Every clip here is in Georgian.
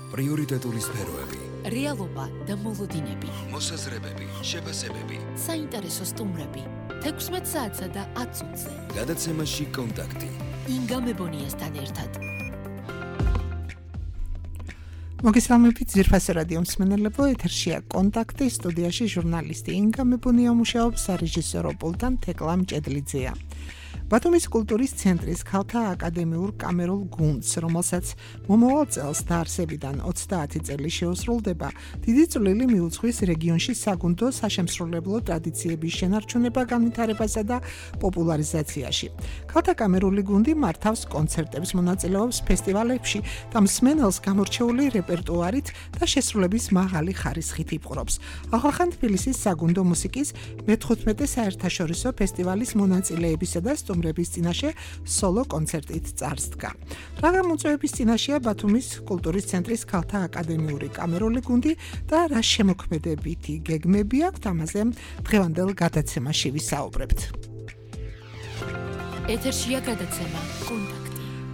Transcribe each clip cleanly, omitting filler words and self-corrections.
პრიორიტეტული სფეროები, რეალობა და მოლოდინები, მოსაზრებები, შეფასებები, საინტერესო სტუმრები, 16 საათსა და 10 წუთზე. გადაცემაში კონტაქტი. ინგა მებონიასთან ერთად. მოგესალმებით ძვირფასი რადიო მსმენელებო, ეთერშია კონტაქტი, სტუდიაში ჟურნალისტი ინგა მებონია მუშაობს, სარეჟისორო პულტთან თეკლა მჭედლიძეა. ბათუმის კულტურის ცენტრის ქალთა აკადემიურ კამერულ გუნდს, რომელსაც მომავალ წელს დაარსებიდან 30 წელი შეუსრულდება, დიდი წვლილი მიუძღვის რეგიონში საგუნდო საშემსრულებლო ტრადიციების შენარჩუნება, განვითარებასა და პოპულარიზაციაში. ქალთა კამერული გუნდი მართავს კონცერტებს, მონაწილეობს ფესტივალებში და მსმენელს გამორჩეული რეპერტუარით და შესრულების მაღალი ხარისხით იპყრობს. ახლახან თბილისის საგუნდო მუსიკის მე-15 საერთაშორისო ფესტივალის მონაწილეებისა და სტუმრების წინაშე სოლო კონცერტით წარსდგა. რა გამოწვევების წინაშეა ბათუმის კულტურის ცენტრის ქალთა აკადემიური კამერული გუნდი და რა შემოქმედებითი გეგმები აქვს, ამაზე დღევანდელ გადაცემაში ვისაუბრებთ. ეთერშია გადაცემა კონტაქტი.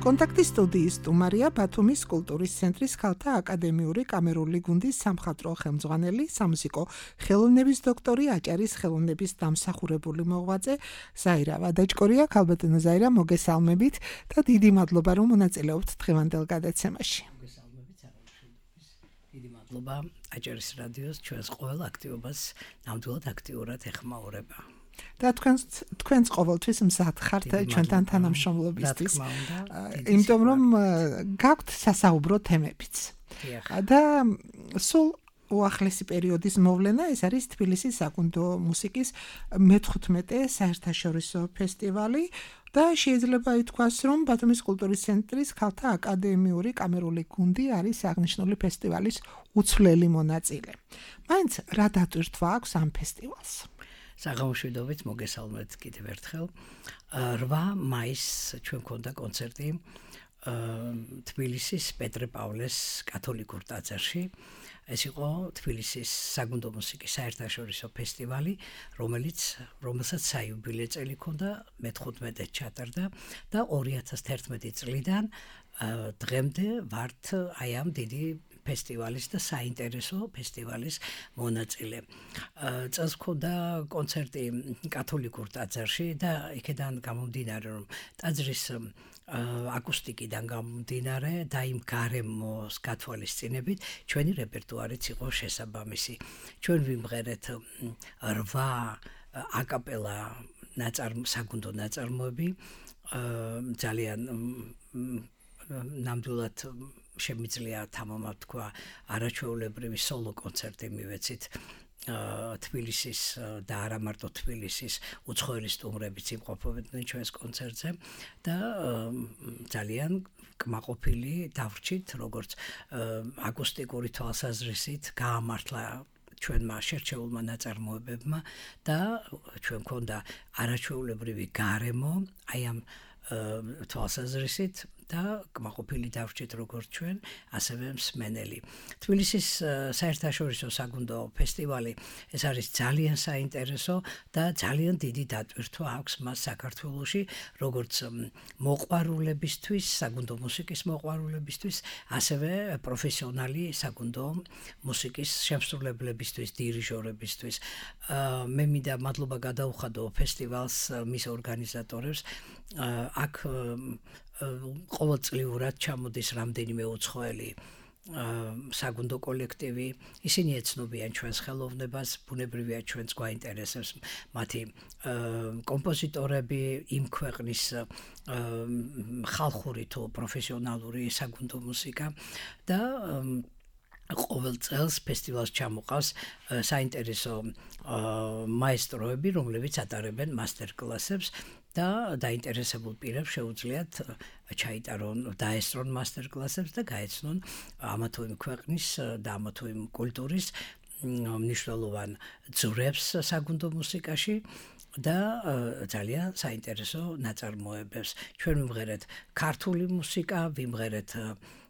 კონტაქტის სტუდიის სტუმარია ბათუმის კულტურის ცენტრის ქალთა აკადემიური კამერული გუნდის სამხატვრო ხელმძღვანელი, სამუსიკო ხელოვნების დოქტორი, აჭარის ხელოვნების დამსახურებული მოღვაწე ზაირა ვადაჭკორია. ქალბატონო ზაირა, მოგესალმებით და დიდი მადლობა, რომ მონაწილეობთ დღევანდელ გადაცემაში. მოგესალმებით, საღამოშენობის. დიდი მადლობა აჭარის რადიოს ჩვენს ყოველ აქტივობას ნამდვილად აქტიურად ეხმაურება. და თქვენს ყოველთვის მზად ხართ ჩვენთან თანამშრომლობისთვის. იმიტომ რომ გაქვთ სასაუბრო თემებიც. და სულ უახლესი პერიოდის მოვლენა ეს არის თბილისის საგუნდო მუსიკის მე-15 საერთაშორისო ფესტივალი და შეიძლება ითქვას, რომ ბათუმის კულტურის ცენტრის ქალთა აკადემიური კამერული გუნდი არის აღნიშნული ფესტივალის უცვლელი მონაწილე. მაინც რა დატვირთვა აქვს ამ ფესტივალს? საღამოშვიდობით მოგესალმებით კიდევ ერთხელ. 8 მაისს ჩვენ გქონდა კონცერტი თბილისის პეტრე პავლეს კათოლიკურ ტაძარში. ეს იყო თბილისის საგუნდო მუსიკის საერთაშორისო ფესტივალი, რომელსაც საიუბილე წელი ჰქონდა, მე-15 ჩატარდა და 2011 წლიდან დღემდე ვართ აი ამ დიდი ფესტივალის და საინტერესო ფესტივალის მონაწილე. წელს ჰქონდა კონცერტი კათოლიკურ ტაძარში და იქედან გამომდინარე, რომ ტაძრის აკუსტიკიდან გამომდინარე და იმ გარემოს გათვალისწინებით ჩვენი რეპერტუარიც იყო შესაბამისი. ჩვენ ვიმღერეთ 8 აკაპელა საგუნდო ნაწარმოები, ძალიან ნამდვილად შემიძლია თამამად თქვა არაჩვეულებრივი სოლო კონცერტი მივეცით თბილისის და არა მარტო თბილისის უცხოელი სტუმრებიც იმყოფებოდნენ ჩვენს კონცერტზე და ძალიან კმაყოფილი დავრჩით, როგორც აკუსტიკური თვალსაზრისით გაამართლა ჩვენმა შერჩეულმა ნაწარმოებებმა და ჩვენ გქონდა არაჩვეულებრივი გარემო აი ამ თვალსაზრისით და კმაყოფილი დავრჩით როგორც ჩვენ, ასევე მსმენელი. თბილისის საერთაშორისო საგუნდო ფესტივალი ეს არის ძალიან საინტერესო და ძალიან დიდი დატვირთვა აქვს მას საქართველოში, როგორც მოყვარულებისთვის, საგუნდო მუსიკის მოყვარულებისთვის, ასევე პროფესიონალი საგუნდო მუსიკის შემსრულებლებისთვის, დირიჟორებისთვის. მე მინდა მადლობა გადაუხადო ფესტივალს, მის ორგანიზატორებს. აქ ყოველწლიურად ჩამოდის რამდენიმე უცხოელი საგუნდო კოლექტივი. ისინი ეცნობიან ჩვენს ხელოვნებას, ბუნებრივია ჩვენს გვაინტერესებს მათი კომპოზიტორები, იმ ქვეყნის ხალხური თუ პროფესიონალური საგუნდო მუსიკა და ყოველ წელს ფესტივალს ჩამოყავს საინტერესო მაესტროები, რომლებიც ატარებენ მასტერ-კლასებს და დაინტერესებულ პირებს შეუძლიათ ჩაიტარონ, დაესწრონ მასტერ-კლასებს და გაეცნონ ამა თუ იმ ქვეყნის და ამა თუ იმ კულტურის მნიშვნელოვან ძვრებს საგუნდო მუსიკაში და ძალიან საინტერესო ნაწარმოებებს. ჩვენ ვიმღერეთ ქართული მუსიკა,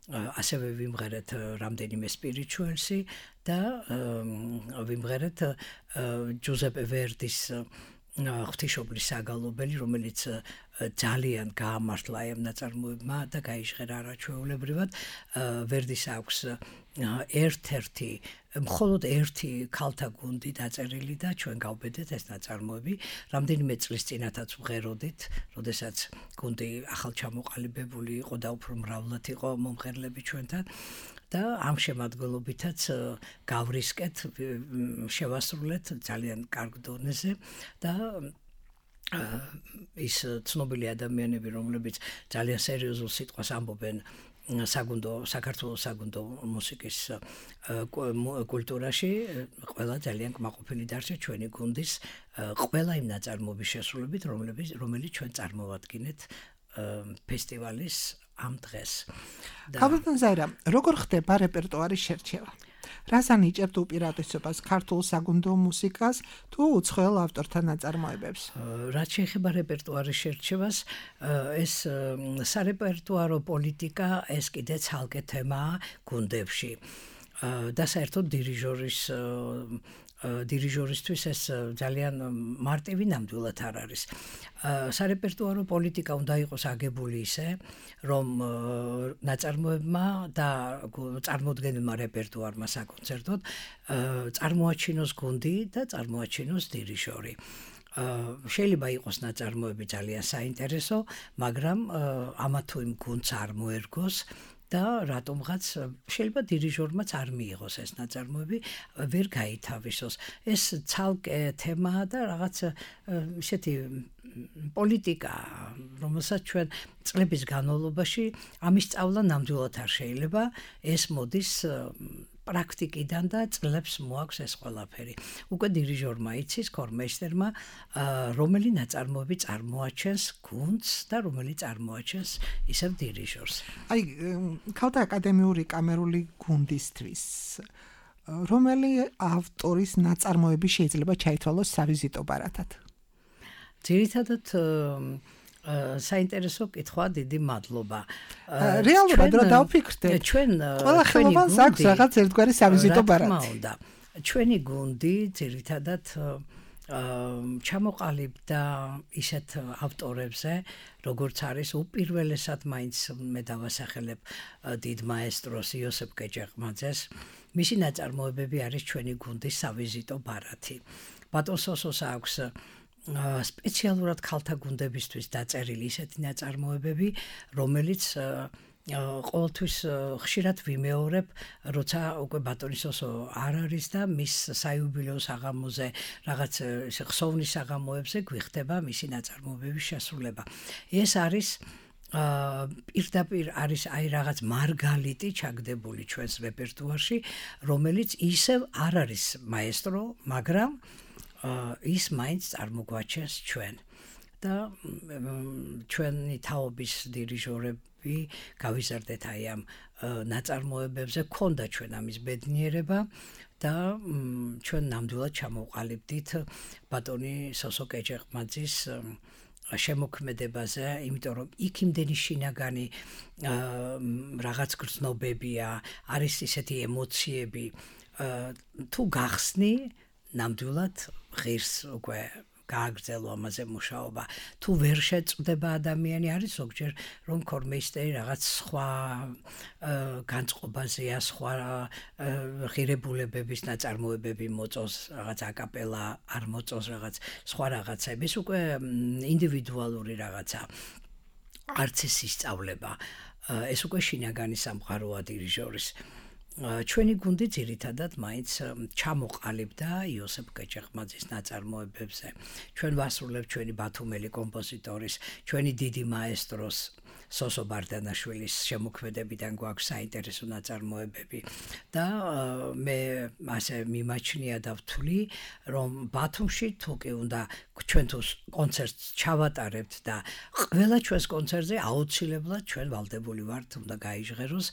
ასევე ვიმღერეთ რამდენიმე სპირიჩუელსი და ვიმღერეთ ჯუზეპე ვერდის ღვთისმშობლის საგალობელი, რომელიც ძალიან გაამართლა ამ ნაწარმოებმა და გაიჟღერა არაჩვეულებრივად. ვერდის აქვს ერთ-ერთი მხოლოდ ერთი ქალთა გუნდი დაწერილი და ჩვენ გავბედეთ ეს ნაწარმოები. რამდენიმე წლის წინათაც ვღეროდით, როდესაც გუნდი ახალჩამოყალიბებული იყო და უფრო მრავლად იყო მომღერლები ჩვენთან. და ამ შემადგენლობითაც გავრისკეთ, შევასრულეთ ძალიან კარგ დონეზე და ის ცნობილი ადამიანები, რომლებიც ძალიან სერიოზულ სიტყვას ამბობენ საქართველოს საგუნდო მუსიკის კულტურაში, ყველა ძალიან კმაყოფილი დარჩა ჩვენი გუნდის ყველა იმ ნაწარმოების შესრულებით, რომელიც ჩვენ წარმოვადგინეთ ფესტივალის ამ დღეს. ქალბატონ ზაირა, როგორ ხდება რეპერტუარის შერჩევა? რას ანიჭებთ უპირატესობას ქართულ საგუნდო მუსიკას თუ უცხოელ ავტორთა ნაწარმოებებს? რაც შეეხება რეპერტუარის შერჩევას, ეს სარეპერტუარო პოლიტიკა ეს კიდე ცალკე თემაა გუნდებში. და საერთოდ დირიჟორისთვის ეს ძალიან მარტივი ნამდვილად არ არის. სარეპერტუარო პოლიტიკა უნდა იყოს აგებული ისე, რომ ნაწარმოებმა და წარმოდგენილმა რეპერტუარმა საკონცერტოდ წარმოაჩინოს გუნდი და წარმოაჩინოს დირიჟორი. შეიძლება იყოს ნაწარმოები ძალიან საინტერესო, მაგრამ ამა თუ იმ გუნდს არ მოერგოს და რატომღაც შეიძლება დირიჟორმაც არ მიიღოს ეს ნაწარმოები, ვერ გაითავისოს. ეს ცალკე თემაა და რაღაც ისეთი პოლიტიკა, რომელსაც ჩვენ წლების განმავლობაში ამის სწავლა ნამდვილად არ შეიძლება, ეს მოდის პრაქტიკიდან და წლებს მოაქვს ეს ყველაფერი. უკვე დირიჟორმა იცის, ქორმეისტერმა, რომელი ნაწარმოები წარმოაჩენს გუნდს და რომელი წარმოაჩენს ისევ დირიჟორს. აი, ქალთა აკადემიური კამერული გუნდისთვის რომელი ავტორის ნაწარმოები შეიძლება ჩაითვალოს სავიზიტო ბარათად? ძირითადად საინტერესო კითხვა, დიდი მადლობა. რეალურად რა დავფიქრდეთ? ჩვენ ყველა ხელოვანს აქვს რაღაც ერთგვარი სავიზიტო ბარათი. ჩვენი გუნდი ძირითადად ჩამოყალიბდა ისეთ ავტორებზე, როგორც არის უპირველესად მაინც მე დავასახელებ დიდ მაესტროს იოსებ კეჭეყმაძეს. მისი ნაწარმოებები არის ჩვენი გუნდის სავიზიტო ბარათი. ბატონ სოსოს აქვს სპეციალურად ქალთა გუნდებისთვის დაწერილი ისეთი ნაწარმოებები, რომელიც ყოველთვის ხშირად ვიმეორებ, როცა უკვე ბატონი სოსო არ არის და მის საიუბილეო საღამოზე რაღაც ხსოვნის საღამოებზე გვიხდება მისი ნაწარმოებების შესრულება. ეს არის პირდაპირ არის აი რაღაც მარგალიტი ჩაგდებული ჩვენს რეპერტუარში, რომელიც ისევ არ არის მაესტრო, მაგრამ ის მაინც წარმოგვაჩენს ჩვენ და ჩვენი თაობის დირიჟორები გავიზარდეთ აი ამ ნაწარმოებებზე, ქონდა ჩვენ ამის ბედნიერება და ჩვენ ნამდვილად ჩამოვყალიბდით ბატონი სოსო კეჭეყმაძის შემოქმედებაზე, იმიტომ რომ იქ იმდენი შინაგანი რაღაც გრძნობებია, არის ისეთი ემოციები, თუ გახსნი ნამდვილად ღირს უკვე გააგრძელო ამაზე მუშაობა. თუ ვერ შეწყვდება ადამიანი, არის ზოგჯერ რომ ქორმეისტერი რაღაც სხვა განწყობაზეა, სხვა ღირებულებების ნაწარმოებები მოწოს, რაღაც აკაპელა არ მოწოს, რაღაც სხვა რაღაცები. ეს უკვე ინდივიდუალური რაღაცა. არც ის ისწავლება. ეს უკვე შინაგანი სამყაროა დირიჟორის. ჩვენი გუნდი ძირითადად მაინც ჩამოყალიბდა იოსებ კეჭეყმაძის ნაწარმოებებზე. ჩვენ ვასრულებთ ჩვენი ბათუმელი კომპოზიტორის, ჩვენი დიდი მაესტროს სოსო ბარდანაშვილის შემოქმედებიდან გვაქვს საინტერესო ნაწარმოებები და მე ასე მიმაჩნია და ვთვლი, რომ ბათუმში თუკი უნდა ჩვენ თუ კონცერტს ჩავატარებთ და ყველა ჩვენს კონცერტზე აუცილებლად ჩვენ ვალდებული ვართ, უნდა გაიჟღეროს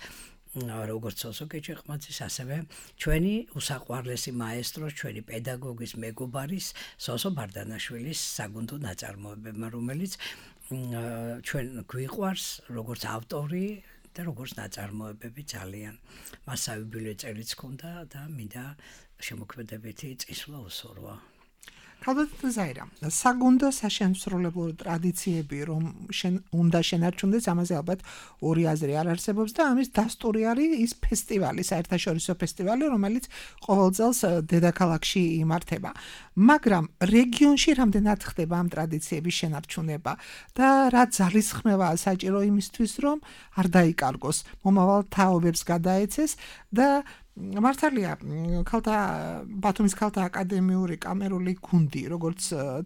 როგორც სოსო კეჭეყმაძის, ასევე ჩვენი უსაყვარლესი მაესტროს, ჩვენი პედაგოგის მეგობარის სოსო ბარდანაშვილის საგუნდო ნაწარმოებებმა, რომელიც ჩვენ გვიყვარს როგორც ავტორი და როგორც ნაწარმოებები ძალიან. მას საიუბილეო წელიც ჰქონდა და მინდა შემოქმედებითი წისვლა უსურვა. ქალბატონო ზაირა, საგუნდო საშემსრულებლო ტრადიციები რომ უნდა შენარჩუნდეს, ამაზე ალბათ ორი აზრი არ არსებობს და ამის დასტური არის ის ფესტივალი, საერთაშორისო ფესტივალი, რომელიც ყოველ წელს დედაქალაქში იმართება. მაგრამ რეგიონში რამდენად ხდება ამ ტრადიციების შენარჩუნება და რა ძალისხმევაა საჭირო იმისთვის, რომ არ დაიკარგოს, მომავალ თაობებს გადაეცეს და მართალია ბათუმის ქალთა აკადემიური კამერული გუნდი, როგორც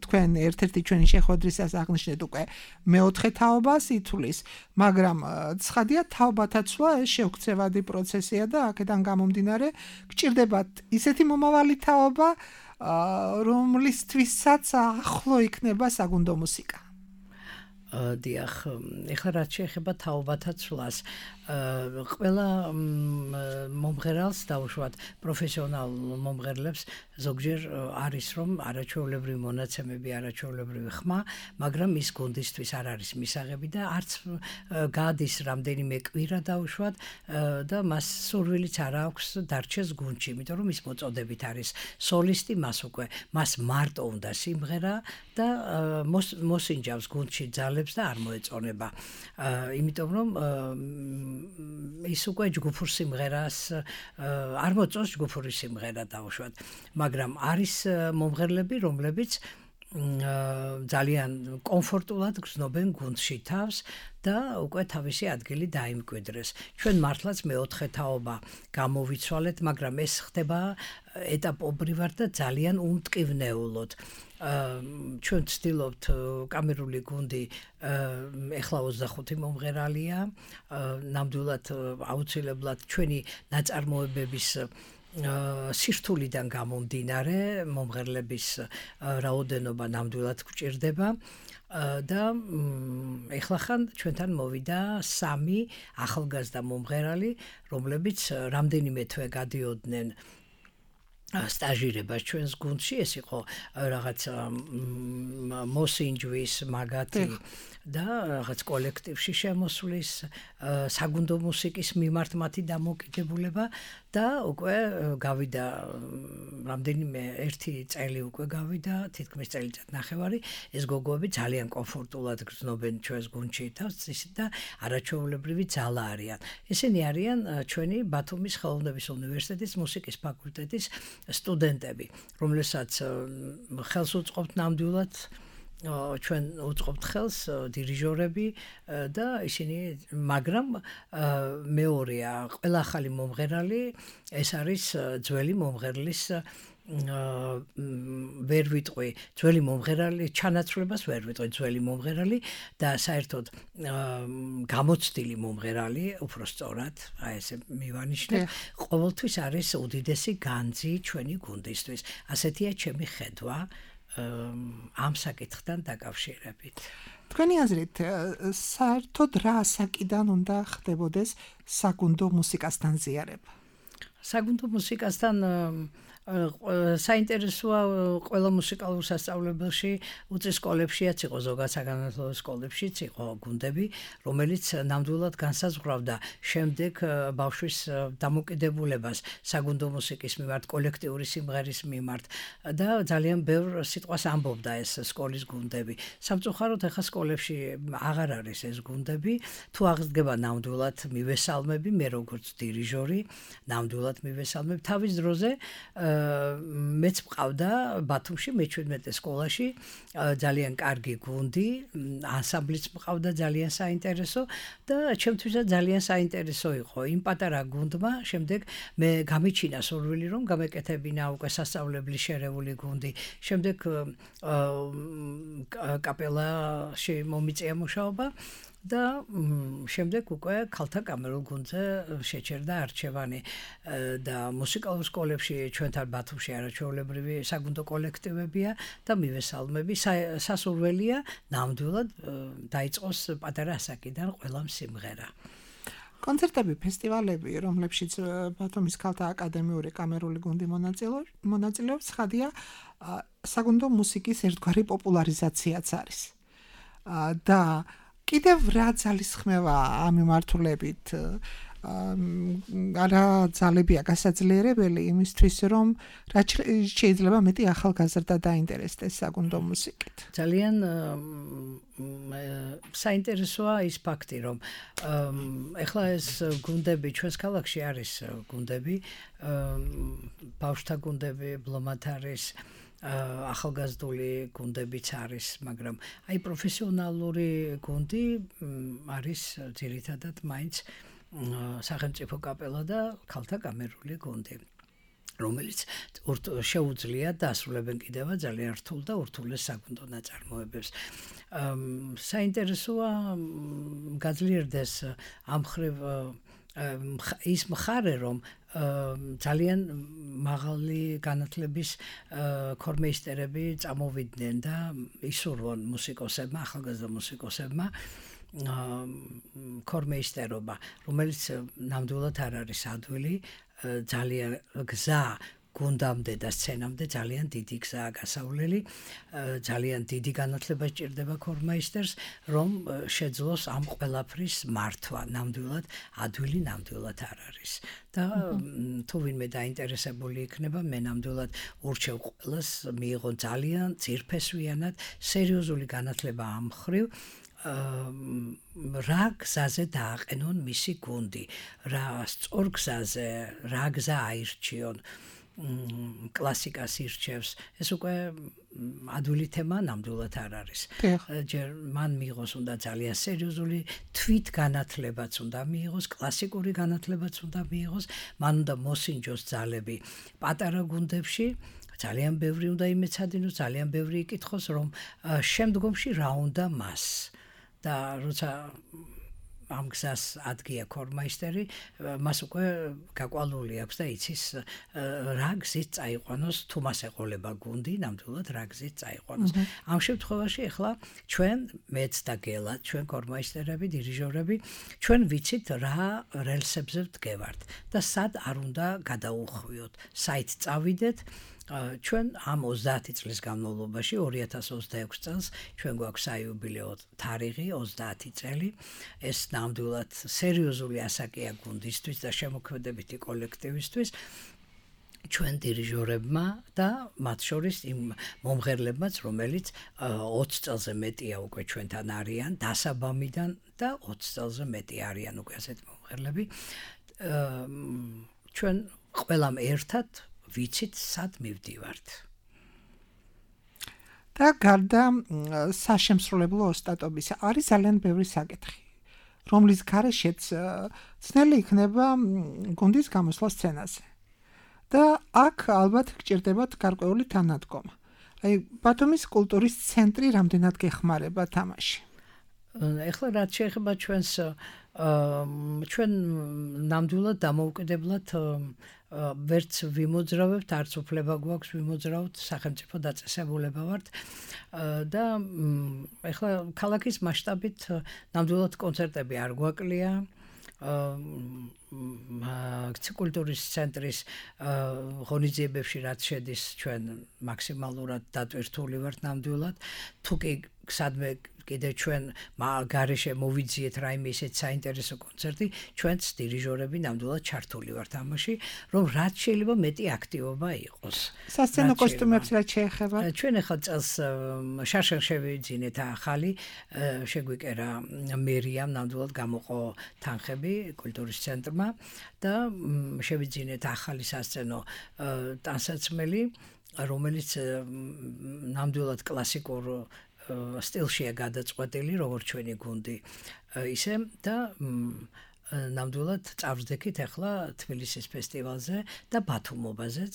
თქვენ ერთ-ერთი ჩვენი შეხვედრისას აღნიშნეთ უკვე მეოთხე თაობას ითვლის, მაგრამ ცხადია თაობათა ცვლა ეს შეუქცევადი პროცესია და აქედან გამომდინარე გჭირდებათ ისეთი მომავალი თაობა, რომლისთვისაც ახლო იქნება საგუნდო მუსიკა. დიახ, ეხლა რაც შეეხება თაობათა ცვლას, ყველა მომღერალს დაუშვათ პროფესიონალ მომღერლებს ზოგჯერ არის რომ არაჩვეულებრივი მონაცემები, არაჩვეულებრივი ხმა, მაგრამ ის გუნდისთვის არ არის მისაღები და არც გადის რამდენიმე კვირა დაუშვათ და მას სურვილიც არ აქვს დარჩეს გუნდში, იმიტომ რომ ის მოწოდებით არის სოლისტი, მას მარტო უნდა სიმღერა და მოსინჯავს გუნდში ძალებს და არ მოეწონება. იმიტომ რომ ის უკვე ჯგუფურ სიმღერას არ მოწონს ჯგუფური სიმღერა დაუშვათ, მაგრამ არის მომღერლები, რომლებიც ძალიან კომფორტულად გრძნობენ გუნდში თავს და უკვე თავისი ადგილი დაიმკვიდრეს. ჩვენ მართლაც მეოთხე თაობა გამოვიცვალეთ, მაგრამ ეს ხდება ეტაპობრივად და ძალიან უმტკივნეულოდ. ჩვენ ვცდილობთ კამერული გუნდი ეხლა 25 მომღერალია, ნამდვილად აუცილებლად ჩვენი ნაწარმოებების სირთულიდან გამომდინარე მომღერლების რაოდენობა ნამდვილად გვჭირდება და ეხლა ხან ჩვენთან მოვიდა 3 ახალგაზრდა მომღერალი, რომლებიც რამდენიმე თვე გადიოდნენ სტაჟირებას ჩვენს გუნდში, ეს იყო რაღაც მოსინჯვის მაგათი და რაღაც კოლექტივში შემოსვლის, საგუნდო მუსიკის მიმართ მათი დამოკიდებულება და უკვე გავიდა რამდენიმე ერთი წელი უკვე გავიდა, თითქმის წელიწად ნახევარი, ეს გოგოები ძალიან კომფორტულად გრძნობენ ჩვენს გუნდში თავს და არაჩვეულებრივი ძალა არიან. ესენი არიან ჩვენი ბათუმის ხელოვნების უნივერსიტეტის მუსიკის ფაკულტეტის სტუდენტები, რომლებსაც ხელს უწყობთ ნამდვილად ჩვენ უწყობთ ხელს დირიჟორები და ისინი, მაგრამ მეორეა ყველა ახალი მომღერალი, ეს არის ძველი მომღერლის ვერ ვიტყვი ძველი მომღერალი, ჩანაცვლებას ვერ ვიტყვი ძველი მომღერალი და საერთოდ გამოცდილი მომღერალი, უფრო სწორად, აი ესე მივანიშნე, ყოველთვის არის უდიდესი განძი ჩვენი გუნდისთვის. ასეთია ჩემი ხედვა ამ საკითხთან დაკავშირებით. თქვენი აზრით, საერთოდ რა საკიდან უნდა ხდებოდეს საგუნდო მუსიკასთან ზიარება? საგუნდო მუსიკასთან საინტერესოა ყველა მუსიკალურ სასწავლებელში, უწის სკოლებშიაც იყო, ზოგადად საგანმანათლებლო სკოლებშიც იყო გუნდები, რომელიც ნამდვილად განსაზღვრავდა შემდეგ ბავშვის დამოკიდებულებას საგუნდო მუსიკის მიმართ, კოლექტიური სიმღერის მიმართ და ძალიან ბევრ სიტყვას ამბობდა ეს სკოლის გუნდები. სამწუხაროდ ახლა სკოლებში აღარ არის ეს გუნდები, თუ აღდგება ნამდვილად მივესალმები, მე როგორც დირიჟორი, ნამდვილად მივესალმებ თავის დროზე მეც მყავდა ბათუმში მე-17 სკოლაში ძალიან კარგი გუნდი, ანსამბლიც მყავდა ძალიან საინტერესო და ჩემთვისაც ძალიან საინტერესო იყო იმ პატარა გუნდმა შემდეგ მე გამიჩინა სურვილი რომ გამეკეთებინა უკვე სასწავლებლის შერეული გუნდი, შემდეგ კაპელაში მომიწია მუშაობა და შემდეგ უკვე ქალთა კამერულ გუნდზე შეჩერდა არჩევანი და მუსიკალურ სკოლებში ჩვენთან ბათუმში არაჩვეულებრივი საგუნდო კოლექტივებია და მივესალმები, სასურველია ნამდვილად დაიწყოს პატარა ასაკიდან ყველამ სიმღერა. კონცერტები, ფესტივალები, რომლებშიც ბათუმის ქალთა აკადემიური კამერული გუნდი მონაწილეობს, ხადია საგუნდო მუსიკის ერთგვარი პოპულარიზაციაც არის. და კიდევ რა ძალისხმევა ამ მიმართულებით არა ძალებია გასაძლიერებელი იმისთვის, რომ რაც შეიძლება მეტი ახალგაზრდა დაინტერესდეს საგუნდო მუსიკით. ძალიან საინტერესოა ის ფაქტი, რომ ეხლა ეს გუნდები ჩვენს ქალაქში არის გუნდები, ბავშვთა გუნდები, ბლომად არის, ახალგაზრდული გუნდებიც არის, მაგრამ აი პროფესიონალური გუნდი არის ძირითადად მაინც სახელმწიფო კაპელა და ქალთა კამერული გუნდი, რომელიც შეუძლია დასრულებენ კიდევ ძალიან რთულ და ურთულეს საგუნდო ნაწარმოებებს. საინტერესოა გაძლიერდეს ამ მხრივ ის მხარე, რომ ძალიან მაღალი განათლების ქორმეისტერები წამოვიდნენ და ისურვონ მუსიკოსებმა, ახალგაზრდა მუსიკოსებმა ქორმეისტერობა, რომელიც ნამდვილად არ არის ადვილი, ძალიან გზა გუნდამდე და სცენამდე ძალიან დიდი გზაა გასავლელი, ძალიან დიდი განათლება სჭირდება ქორმეისტერს, რომ შეძლოს ამ ყველაფრის მართვა, ნამდვილად ადვილი ნამდვილად არ არის. და თუ ვინმე დაინტერესებული იქნება, მე ნამდვილად ურჩევ ყველას მიიღონ ძალიან ძირფესვიანად სერიოზული განათლება ამ მხრივ, რა გზაზე დააყენონ მისი გუნდი, რა სწორ გზაზე, რა გზა აირჩიონ, კლასიკას ირჩევს, ეს უკვე ადვილი თემა ნამდვილად არ არის. ჯერ მან მიიღოს უნდა ძალიან სერიოზული თვით განათლებაც უნდა მიიღოს, კლასიკური განათლებაც უნდა მიიღოს, მან უნდა მოსინჯოს ძალები პატარა გუნდებში, ძალიან ბევრი უნდა იმეცადინოს, ძალიან ბევრი იკითხოს, რომ შემდგომში რა უნდა მას. და როცა ამ გზას ადგია ქორმაისტერი, მას უკვე გაკვალული აქვს და იცის რა გზით წაიყვანოს, თუ მას ეყოლება გუნდი, ნამდვილად რა გზით წაიყვანოს. ამ შემთხვევაში ახლა ჩვენ მეც და გელა, ჩვენ ქორმაისტერები, დირიჟორები, ჩვენ ვიცით რა რელსებზე ვდგევართ და სად არ უნდა გადაუხვიოთ, საით წავიდეთ. ჩვენ ამ 30 წლის განმავლობაში 2026 წელს ჩვენ გვაქვს საიუბილეო თარიღი 30 წელი. ეს ნამდვილად სერიოზული ასაკია გუნდისთვის და შემოქმედებითი კოლექტივისთვის. ჩვენ დირიჟორებმა და მათ შორის იმ მომღერლებმაც, რომელიც 20 წელზე მეტია უკვე ჩვენთან არიან, დასაბამიდან და 20 წელზე მეტი არიან უკვე ასეთი მომღერლები. ჩვენ ყველამ ერთად ვიცით სად მივდივართ. და გარდა საშემსრულებლო ოსტატობისა არის ძალიან ბევრი საკითხი, რომლის გარეშეც ცნელი იქნება გუნდის გამოსვლა სცენაზე. და აქ ალბათ გჭირდებათ გარკვეული თანადგომა. აი ბათუმის კულტურის ცენტრი რამდენად გეხმარება თამაში? ეხლა რაც შეეხება ჩვენს ჩვენ ნამდვილად დამოუკიდებლად ვერც ვიმოძრავებთ, არც უფლება გვაქვს ვიმოძრავთ, სახელმწიფო დაწესებულება ვართ და ეხლა ქალაქის მასშტაბით ნამდვილად კონცერტები არ გვაკლია. კულტურის ცენტრის ღონისძიებებში რაც შედის, ჩვენ მაქსიმალურად დატვირთული ვართ ნამდვილად. თუ კი სადმე კიდე ჩვენ გარეშე მოვიძიეთ რაიმე ისეთ საინტერესო კონცერტი, ჩვენც დირიჟორები ნამდვილად ჩართული ვართ ამაში, რომ რაც შეიძლება მეტი აქტივობა იყოს. სასცენო კოსტუმებს რაც შეეხება? ჩვენ ახლა წელს შარშან შევიძინეთ ახალი, შეგვიკერა მერიამ, ნამდვილად გამოყო თანხები კულტურის ცენტრმა და შევიძინეთ ახალი სასცენო ტანსაცმელი, რომელიც ნამდვილად კლასიკურ სტილშია გადაწყვეტილი, როგორც ჩვენი გუნდი, ისე და ნამდვილად წავსდექით ახლა თბილისის ფესტივალზე და ბათუმობაზეც,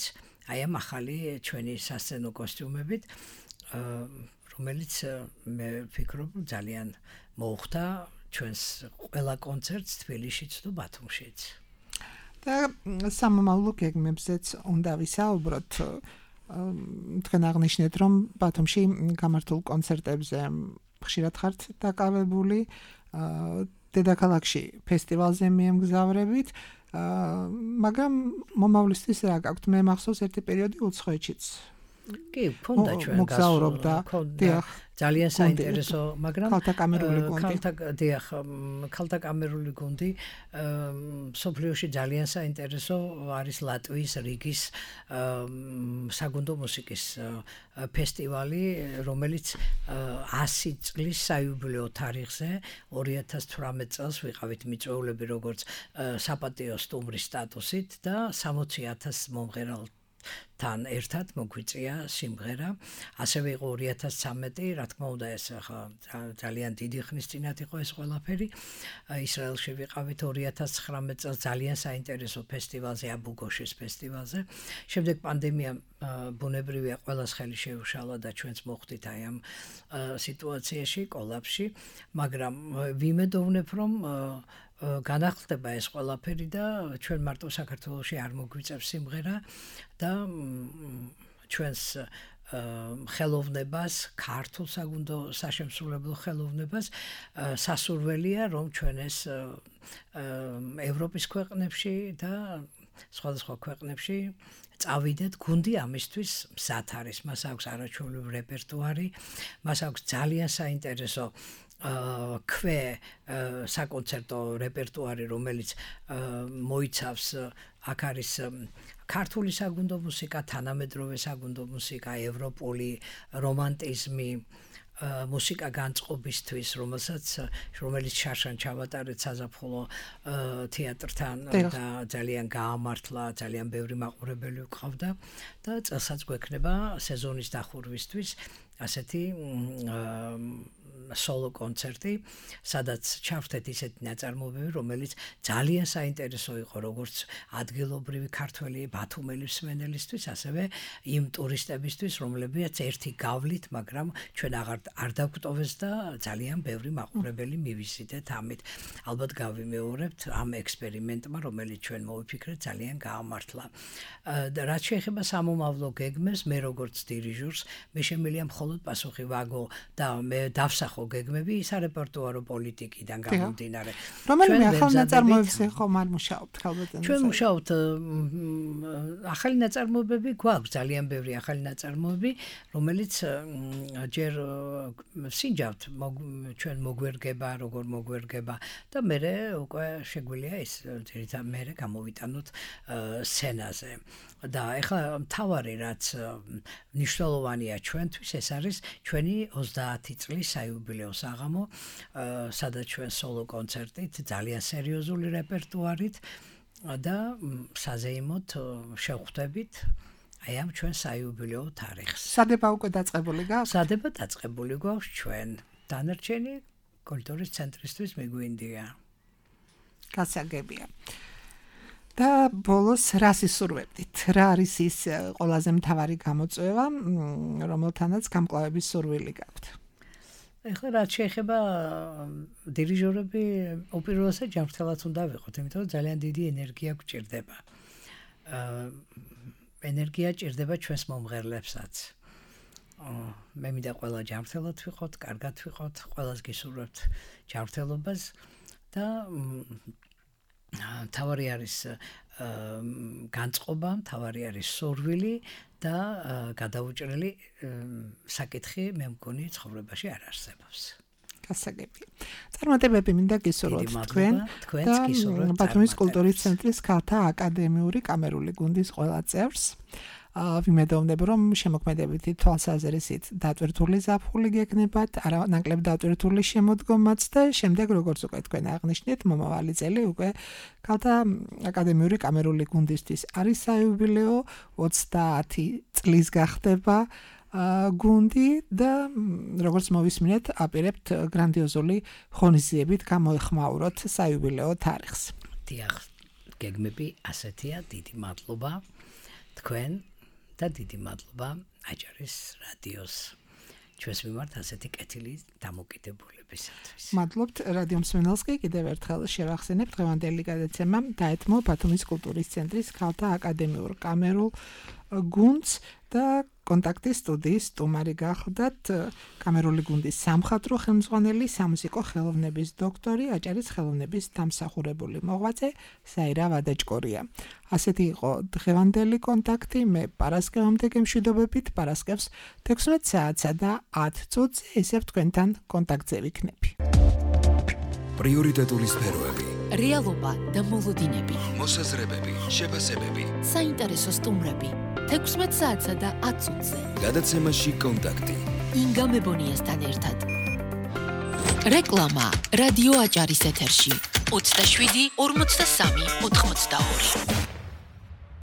აი ამ ახალი ჩვენი სასცენო კოსტიუმებით, რომელიც მე ვფიქრობ ძალიან მოუხდა ჩვენს ყველა კონცერტს თბილისშიც თუ ბათუმშიც. და სამომავლო გეგმებზეც უნდა ვისაუბროთ. თქვენ აღნიშნეთ, რომ ბათუმში გამართულ კონცერტებზე ხშირად ხართ დაკავებული, დედაქალაქში ფესტივალზე მიემგზავრებით, მაგრამ მომავლისთვის რა გაქვთ? მე მახსოვს ერთი პერიოდი უცხოეთშიც კი, ქონდა ჩვენ მოგზაურობდა. დიახ. ძალიან საინტერესო, მაგრამ ქალთა კამერული გუნდი. ქალთა კამერული გუნდი სოფლიოში ძალიან საინტერესო არის ლატვიის რიგის საგუნდო მუსიკის ფესტივალი, რომელიც 100 წლის საიუბილეო თარიღზე 2018 წელს ვიყავით მიწვეულები როგორც საპატიო სტუმრის სტატუსით და 60,000 მომღერალ თან ერთად მოგვიწია სიმღერა. ასევე იყო 2013, რა თქმა უნდა ეს ხა ძალიან დიდი ხნის წინათ იყო ეს ყველაფერი. ისრაელში ვიყავით 2019 წელს ძალიან საინტერესო ფესტივალზე, აბუ-გოშის ფესტივალზე. შემდეგ პანდემია ბუნებრივია ყველას ხელი შეუშალა და ჩვენც მოხვდით აი ამ სიტუაციაში, კოლაფში, მაგრამ ვიმედოვნებ რომ განახლდება ეს ყველაფერი და ჩვენ მარტო საქართველოში არ მოგვიწევს სიმღერა და ჩვენს ხელოვნებას, ქართულ საგუნდო საშემსრულებლო ხელოვნებას სასურველია რომ ჩვენ ეს ევროპის ქვეყნებში და სხვადასხვა ქვეყნებში წავიდეთ. გუნდი ამისთვის მზად არის, მას აქვს არაჩვეულებრივი რეპერტუარი, მას აქვს ძალიან საინტერესო საკონცერტო რეპერტუარი, რომელიც მოიცავს აქ არის ქართული საგუნდო მუსიკა, თანამედროვე საგუნდო მუსიკა, ევროპული რომანტიზმი, მუსიკა განწყობისთვის, რომელიც შარშან ჩავატარეთ საზაფხულო თეატრთან და ძალიან გაამართლა, ძალიან ბევრი მაყურებელი ვყავდა და წელსაც გვექნება სეზონის დახურვისთვის ასეთი სოლო კონცერტი, სადაც ჩავხდეთ ისეთი ნაწარმოებები, რომელიც ძალიან საინტერესო იყო როგორც ადგილობრივი ქართველი ბათუმელი მსმენელისთვის, ასევე იმ ტურისტებისთვის, რომლებიც ერთი გავლით, მაგრამ ჩვენ არ დაგვტოვეს და ძალიან ბევრი მაყურებელი მივიზიდეთ ამით. ალბათ გავიმეორებთ ამ ექსპერიმენტმა, რომელიც ჩვენ მოვიფიქრეთ, ძალიან გაამართლა. რაც შეეხება სამომავლო გეგმებს, მე როგორც დირიჟორს, მე შემიძლია მხოლოდ პასუხი ვაგო და მე დავსახო გეგმები სარეპერტუარო პოლიტიკიდან გამომდინარე. რომელიმე ახალ ნაწარმოებებზე ხომ არ მუშაობთ ხალბატონო? ჩვენ მუშაობთ ახალი ნაწარმოებები გვაქვს, ძალიან ბევრი ახალი ნაწარმოები, რომელიც ჯერ სინჯავთ ჩვენ მოგვერგება, როგორ მოგვერგება და მე უკვე შეგვიძლია ეს ძირითადად მე გამოვიტანოთ სცენაზე. და ეხლა მთავარი რაც მნიშვნელოვანია ჩვენთვის ეს არის ჩვენი 30 წლის საიუბილეო საღამო, სადაც ჩვენ სოლო კონცერტით, ძალიან სერიოზული რეპერტუარით და საზეიმოდ შევხვდებით აი ამ ჩვენ საიუბილეო თარიღს. სადება უკვე დაწყებული გაქვს? სადება დაწყებული გვაქვს ჩვენ. დანარჩენი კულტურის ცენტრისთვის მიგვინდია. გასაგებია. და ბოლოს რას ისურვებდით? რა არის ის ყველაზე მთავარი გამოწვევა, რომელთანაც გამკლავების სურვილი გაქვთ? ეხლა რაც შეეხება დირიჟორები, უპირველესად ჯანმრთელად უნდა ვიყოთ, იმიტომ რომ ძალიან დიდი ენერგია გვჭირდება. ენერგია ჭირდება ჩვენს მომღერლებსაც. მე მინდა ყველა ჯანმრთელად ვიყოთ, კარგად ვიყოთ, ყველას გისურვებთ ჯანმრთელობას და თავარი არის განწყობა, თავარი არის სურვილი და გადაუჭრელი საკითხი მე მგონი ცხოვრებაში არ არსებობს. გასაგებია. წარმატებები მინდა გისურვოთ თქვენ და ბათუმის კულტურის ცენტრის ქალთა აკადემიური კამერული გუნდის ყველა წევრს. ვიმედოვნებ რომ შემოქმედებითი თვალსაზრისით დატვირთული ზაფხული გეკნებათ, არანაკლებ დატვირთული შემოდგომაც და შემდეგ როგორც უკვე თქვენ აღნიშნეთ, მომავალი წელი უკვე ქალთა აკადემიური კამერული გუნდისთვის არის საიუბილეო, 30 წლის გახდება გუნდი და როგორც მოვისმინეთ, აპირებთ გრანდიოზული ღონისძიებით გამოეხმაუროთ საიუბილეო თარიღს. დიახ, გეგმები ასეთია, დიდი მადლობა თქვენ და დიდი მადლობა აჭარის რადიოს ჩვენს მიმართ ასეთი კეთილი დამოკიდებულებისათვის. მადლობთ რადიო მსმენელს კი კიდევ ერთხელ შევახსენებ დღევანდელი გადაცემა დაეთმო ბათუმის კულტურის ცენტრის ქალთა აკადემიურ კამერულ გუნდს და კონტაქტის სტუდიის სტუმარი გახლდათ კამერული გუნდის სამხატვრო ხელმძღვანელი, სამუსიკო ხელოვნების დოქტორი, აჭარის ხელოვნების დამსახურებული მოღვაწე საირა ვადაჭკორია. ასეთი იყო დღევანდელი კონტაქტი. მე პარასკევამდე გემშვიდობებით, პარასკევს 16 საათსა და 10 წუთზე ისევ თქვენთან კონტაქტზე ვიქნები. პრიორიტეტული სფეროები, რეალობა და მოლოდინები, მოსაზრებები, შეფასებები, საინტერესო სტუმრები 16 საათსა და 10 წუთზე. გადაცემაში კონტაქტი. ინგა მებონიასთან ერთად. რეკლამა რადიო აჭარის ეთერში 27 43 82